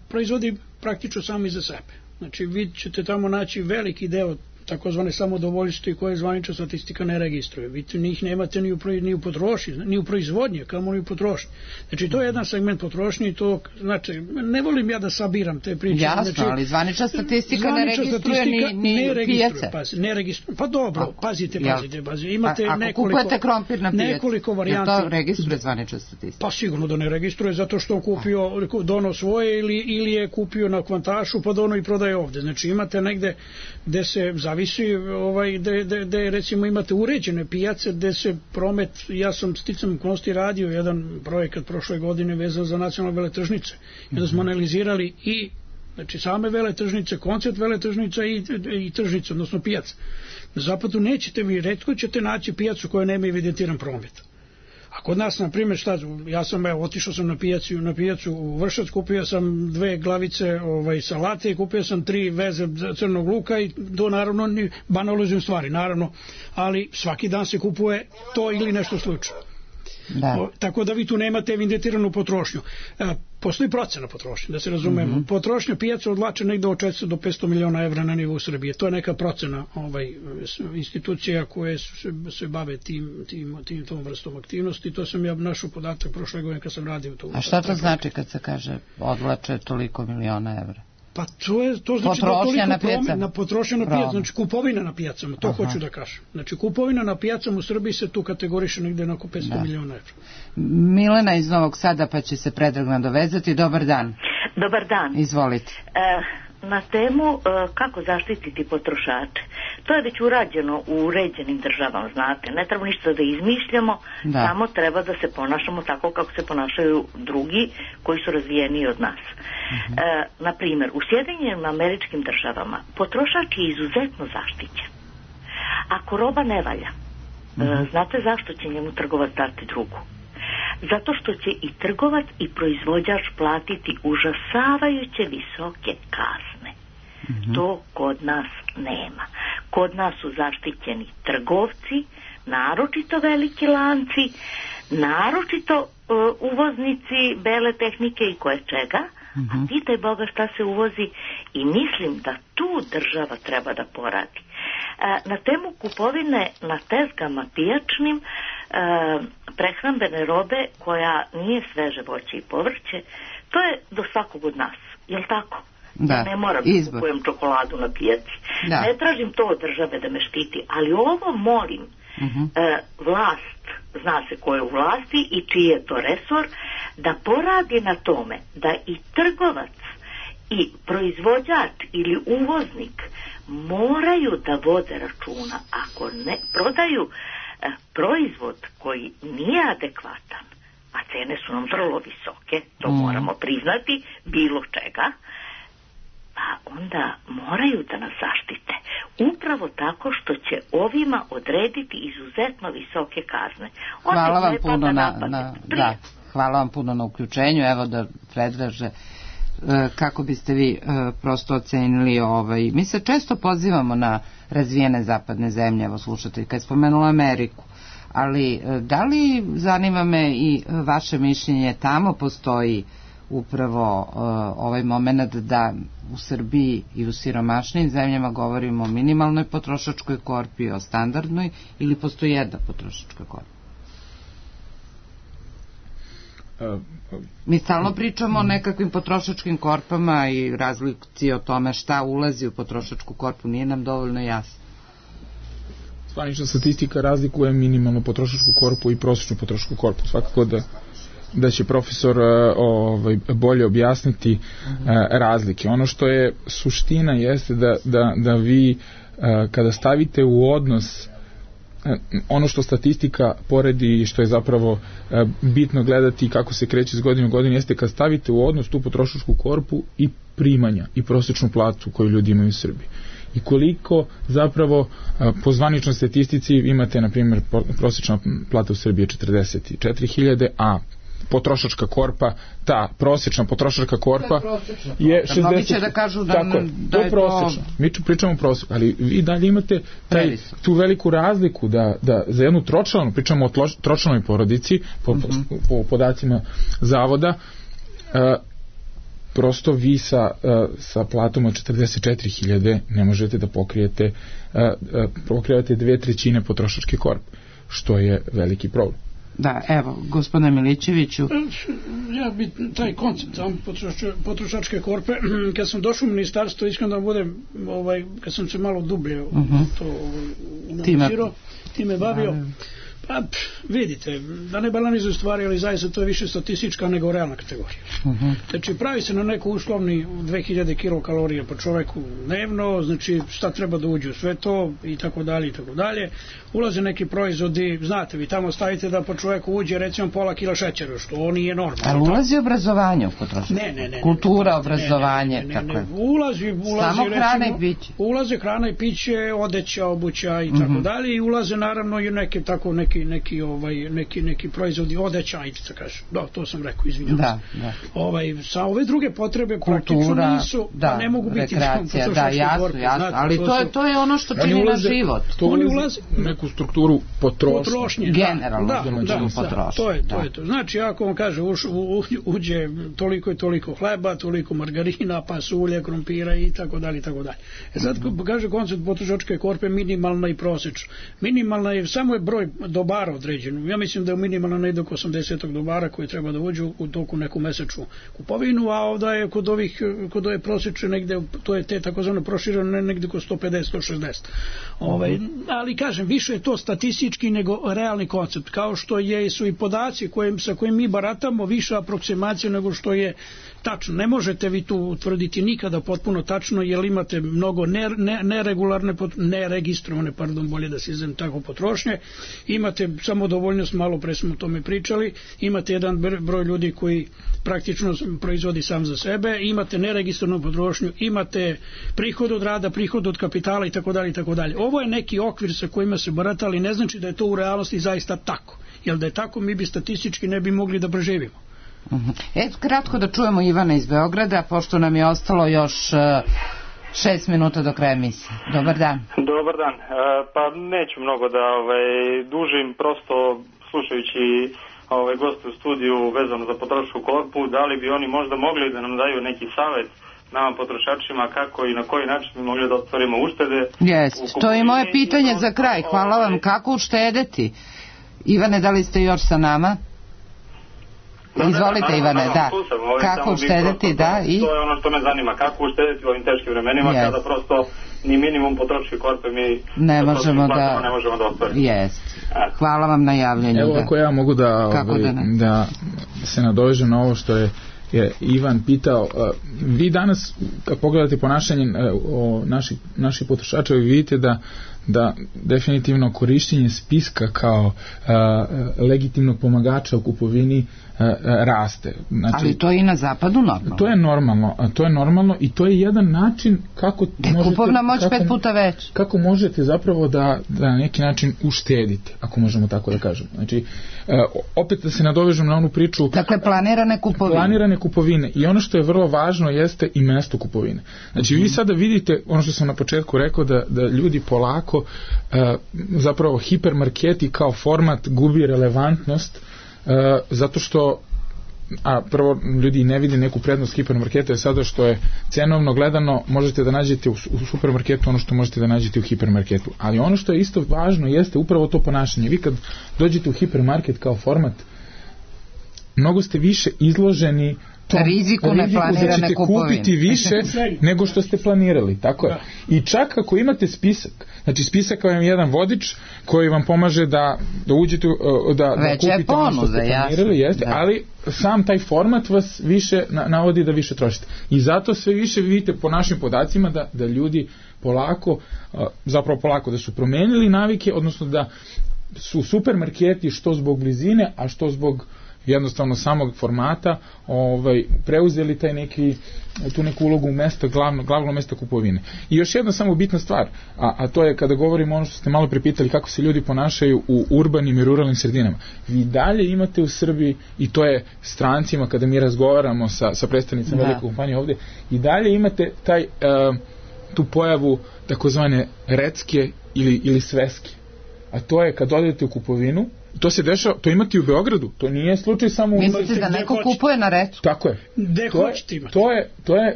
proizvodi praktično samo iza sebe. Znači, vi ćete tamo naći veliki deo takozvane samodovoljstva koje zvanična statistika ne registruje. Vi njih nemate ni u potrošnji, ni u proizvodnji, kamo ni u potrošnji. Znači, to je jedan segment potrošnje i to, znači, ne volim ja da sabiram te priče. Jasno, ali zvanična statistika ne registruje ni pijace. Ne registruje, pa dobro, pazite. Imate ako kupujete krompir na pijaci, nekoliko varijanti. To registruje zvanična statistika? Pa sigurno da ne registruje, zato što dono svoje ili je kupio na kvantašu, pa dono i prodaje ovde. Znači, imate negde gde se zavisi, gde recimo imate uređene pijace, gde se promet, ja sam sticam okolnosti radio jedan projekat prošle godine vezan za nacionalne veletržnice, kada smo analizirali i znači same veletržnice, koncept veletržnica i tržnice, odnosno pijaca. Na zapadu nećete vi, retko ćete naći pijacu koja nema evidentiran promet. A kod nas, na primjer, ja sam otišao sam na pijacu u Vršac, kupio sam 2 glavice salate i kupio sam 3 veze crnog luka i to naravno banalizujem stvari, naravno, ali svaki dan se kupuje to ili nešto slično. Tako da vi tu nemate evidentiranu potrošnju. Postoji procena potrošnje, da se razumemo. Potrošnja pijaca odlače negde od 400 do 500 miliona evra na nivou Srbije. To je neka procena institucija koje se bave tom vrstom aktivnosti. To sam ja našao podatak prošle godine kad sam radio to. A šta to znači kad se kaže odlače toliko miliona evra? Pa to znači potrošnja na pijacama, znači kupovina na pijacama, to hoću da kažem. Znači kupovina na pijacama u Srbiji se tu kategoriše negde na oko 500 miliona evra. Milena iz Novog Sada, pa će se Predrag nadovezati. Dobar dan. Dobar dan. Izvolite. na temu kako zaštititi potrošače. To je već urađeno u uređenim državama, znate. Ne treba ništa da izmišljamo, samo treba da se ponašamo tako kako se ponašaju drugi koji su razvijeniji od nas. Na primjer, u Sjedinjenim Američkim Državama potrošač je izuzetno zaštićen. Ako roba ne valja, znate zašto će njemu trgovac dati drugu? Zato što će i trgovac i proizvođač platiti užasavajuće visoke kazne. To kod nas nema. Kod nas su zaštićeni trgovci, naročito veliki lanci, naročito uvoznici bele tehnike i koje čega, a pitaj Boga šta se uvozi, i mislim da tu država treba da poradi. Na temu kupovine na tezgama pijačnim prehrambene robe koja nije sveže voće i povrće, to je do svakog od nas, jel tako? Ja ne moram da kupujem čokoladu na pijaci. Ne tražim to od države da me štiti, ali ovo molim vlast, zna se ko je u vlasti i čiji je to resor, da poradi na tome da i trgovac i proizvođač ili uvoznik moraju da vode računa. Ako ne prodaju proizvod koji nije adekvatan, a cene su nam vrlo visoke, to moramo priznati, bilo čega, pa onda moraju da nas zaštite. Upravo tako što će ovima odrediti izuzetno visoke kazne. Hvala vam puno hvala vam puno na uključenju. Evo da predlaže kako biste vi prosto ocenili mi se često pozivamo na razvijene zapadne zemlje, evo slušate kad je spomenula Ameriku, ali da li, zanima me i vaše mišljenje, tamo postoji upravo ovaj moment da u Srbiji i u siromašnim zemljama govorimo o minimalnoj potrošačkoj korpi, o standardnoj, ili postoji jedna potrošačka korpa? Mi stalno pričamo o nekakvim potrošačkim korpama i razlici o tome šta ulazi u potrošačku korpu, nije nam dovoljno jasno. Zvanična statistika razlikuje minimalnu potrošačku korpu i prosječnu potrošačku korpu. Svakako da će profesor bolje objasniti razlike. Ono što je suština jeste da vi kada stavite u odnos ono što statistika poredi i što je zapravo bitno gledati kako se kreće iz godine u godinu, jeste kad stavite u odnos tu potrošačku korpu i primanja i prosječnu platu koju ljudi imaju u Srbiji. I koliko zapravo po zvaničnoj statistici imate, na primjer, prosječna plata u Srbiji je 44.000, a potrošačka korpa, ta prosječna potrošačka korpa je 60. Mnogi će da kažu da je prosječno. Mi pričamo prosječno, ali vi dalje imate tu veliku razliku da za jednu tročlanu, pričamo o tročlanoj porodici, po podacima zavoda, prosto vi sa platom od 44.000 ne možete da pokrijete 2/3 potrošačke korpe, što je veliki problem. Da, evo, gospodine Milićeviću. Ja bi taj koncept potrošačke korpe, kad sam došao u ministarstvo, iskreno da budem, kad sam se malo dublje time bavio, pa vidite, da ne banalizuju stvari, ali zaista to je više statistička nego realna kategorija. Znači, pravi se na neku uslovni 2000 kilokalorija po čoveku dnevno, znači šta treba da uđe u sve to i tako dalje i tako dalje. Ulaze neki proizvodi, znate, vi tamo stavite da po čoveku uđe recimo pola kila šećera, što nije normalno. Ali ulazi obrazovanje u potrošnju? Ne. Kultura, obrazovanje, tako je. Samo hrana i piće. Ulaze hrana i piće, odeća, obuća i tako dalje, i ulaze naravno i neke tako neki proizvodi, odeća, ajde da kažem. Da, to sam rekao, izvinjam se. Sa ove druge potrebe praktično nisu, ne mogu biti potrošačke korpe. Jasno, ali to je ono što čini na život. Oni ulaze neku strukturu potrošnje. Generalno. Da, to je to. Znači, ako vam kaže, uđe toliko i toliko hleba, toliko margarina, pasulje, krompira i tako dalje i tako dalje. Sad kaže koncept potrošačke korpe minimalna i prosječna. Minimalna je, samo je broj dobara dobara određenu. Ja mislim da je minimalno negdje oko 80 dobara koji treba da uđu u toku neku mesečnu kupovinu, a ovdje je kod ove prosječne negdje, to je te takozvano prošireno negdje oko 150-160. Ali kažem, više je to statistički nego realni koncept, kao što su i podaci sa kojim mi baratamo više aproksimacije nego što je tačno. Ne možete vi tu utvrditi nikada potpuno tačno, jer imate mnogo neregularne, neregistrovane, bolje da se izrazim tako, potrošnje, imate samodovoljnost, malo pre smo o tome pričali, imate jedan broj ljudi koji praktično proizvodi sam za sebe, imate neregistrovanu potrošnju, imate prihod od rada, prihod od kapitala itd. Ovo je neki okvir sa kojima se barata, ali ne znači da je to u realnosti zaista tako, jer da je tako mi bi statistički ne bi mogli da preživimo. Kratko da čujemo Ivana iz Beograda, pošto nam je ostalo još 6 minuta do kraja emisije. Dobar dan. Dobar dan. Pa neću mnogo da dužim, prosto slušajući goste u studiju vezano za potrošačku korpu, da li bi oni možda mogli da nam daju neki savjet nama potrošačima kako i na koji način bi mogli da ostvarimo uštede. To je moje pitanje za kraj. Hvala vam. Kako uštedeti? Ivane, da li ste još sa nama? Izvolite, Ivane, da. Kako uštedeti, da. To je ono što me zanima, kako uštedeti u ovim teškim vremenima kada prosto ni minimum potrošačke korpe mi ne možemo da ostvarimo. Hvala vam na javljanju. Evo ako ja mogu da se nadovežem na ovo što je Ivan pitao. Vi danas, kad pogledate ponašanje naših potrošača, vi vidite da definitivno korišćenje spiska kao legitimnog pomagača u kupovini raste. Znači, ali to je i na zapadu normalno. To je normalno i to je jedan način kako kupovna moć 5 puta već. Kako možete zapravo da na neki način uštedite, ako možemo tako da kažemo. Znači, opet da se nadovežem na onu priču. Dakle, planirane kupovine. I ono što je vrlo važno jeste i mesto kupovine. Znači, vi sada vidite, ono što sam na početku rekao, da ljudi polako, zapravo hipermarketi kao format gubi relevantnost, zato što prvo ljudi ne vide neku prednost hipermarketa, je sada što je cenovno gledano možete da nađete u supermarketu ono što možete da nađete u hipermarketu, ali ono što je isto važno jeste upravo to ponašanje. Vi kad dođete u hipermarket kao format, mnogo ste više izloženi riziku da ćete kupiti više nego što ste planirali, tako je. I čak ako imate spisak, znači spisak vam je jedan vodič koji vam pomaže da uđete, da kupite ono što ste planirali, jeste, ali sam taj format vas više navodi da više trošite. I zato sve više vidite po našim podacima da ljudi polako da su promenili navike, odnosno da su supermarketi što zbog blizine, a što zbog jednostavno samog formata preuzeli tu neku ulogu mesta, glavno mesta kupovine. I još jedna samo bitna stvar, a to je kada govorimo ono što ste malo prepitali kako se ljudi ponašaju u urbanim i ruralnim sredinama. Vi dalje imate u Srbiji, i to je strancima kada mi razgovaramo sa predstavnicama velike kompanije ovdje, i dalje imate tu pojavu takozvane recke ili sveske. A to je kad odete u kupovinu, to se dešava, to imate u Beogradu, to nije slučaj samo u... Mislite da neko kupuje na recku? Tako je. Gde hoćete imati?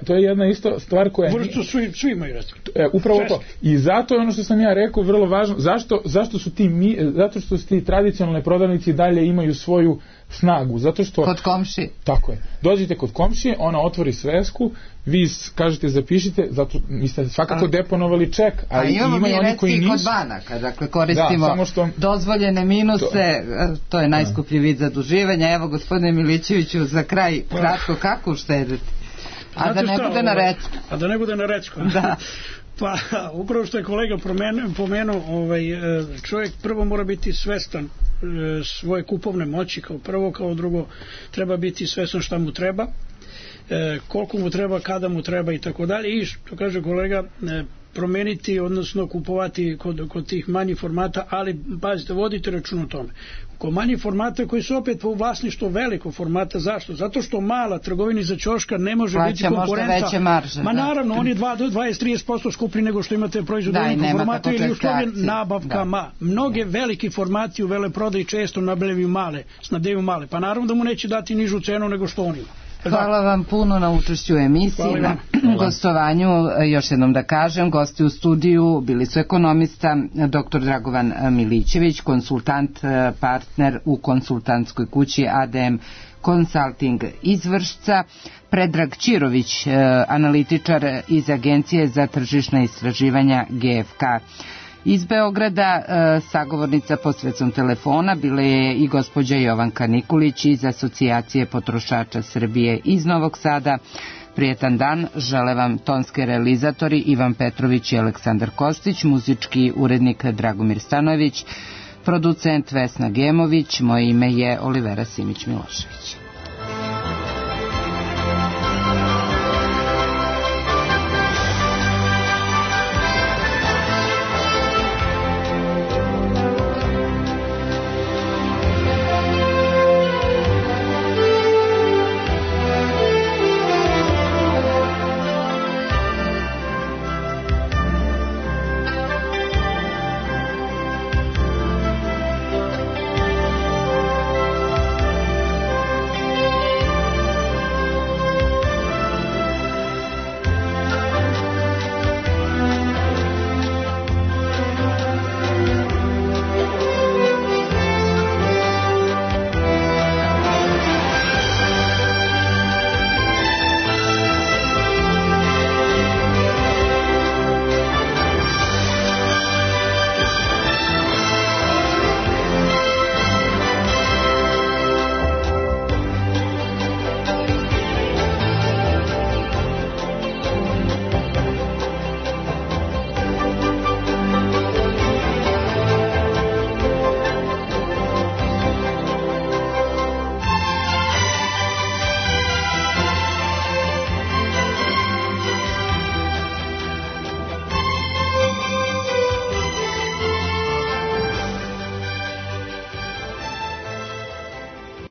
To je jedna isto stvar koja... Vrstu svi imaju recku. Upravo to. I zato je ono što sam ja rekao vrlo važno, zato što ti tradicionalne prodavnici dalje imaju svoju snagu, zato što... Kod komšije. Tako je. Dođete kod komšije, ona otvori svesku, vi kažete zapišite, zato niste svakako deponovali ček, a imaju oni koji nisu. Kod banaka, dakle koristimo dozvoljene minuse, to je najskuplji vid zaduživanja. Evo, gospodine Milićeviću, za kraj kratko, kako uštediti? A da ne bude na recku. A da ne bude na recku. Da. Pa, upravo što je kolega pomenuo, čovjek prvo mora biti svestan svoje kupovne moći, kao prvo, kao drugo treba biti svestan šta mu treba, koliko mu treba, kada mu treba i tako dalje. I što kaže kolega, promeniti, odnosno kupovati kod tih manjih formata, ali pazite, vodite račun o tome. Kod manjih formata koji su opet u vlasništvu velikog formata, zašto? Zato što mala trgovina za ćoška ne može biti konkurenta. Marže, naravno, on je 20-30% skuplji nego što imate proizvod velikog formata ili uslovljen nabavkama. Mnoge veliki formati u veleprodaji često snabdevaju male, pa naravno da mu neće dati nižu cenu nego što on ima. Hvala vam puno na učešću u emisiji, na gostovanju. Još jednom da kažem, gosti u studiju bili su ekonomista dr. Dragovan Milićević, konsultant, partner u konsultantskoj kući ADM Consulting iz Vršca, Predrag Ćirović, analitičar iz Agencije za tržišna istraživanja GFK. Iz Beograda sagovornica posredstvom telefona bila je i gospođa Jovanka Nikulić iz Asocijacije potrošača Srbije iz Novog Sada. Prijetan dan, žele vam tonski realizatori Ivan Petrović i Aleksandar Kostić, muzički urednik Dragomir Stanojević, producent Vesna Gemović, moje ime je Olivera Simić-Milošević.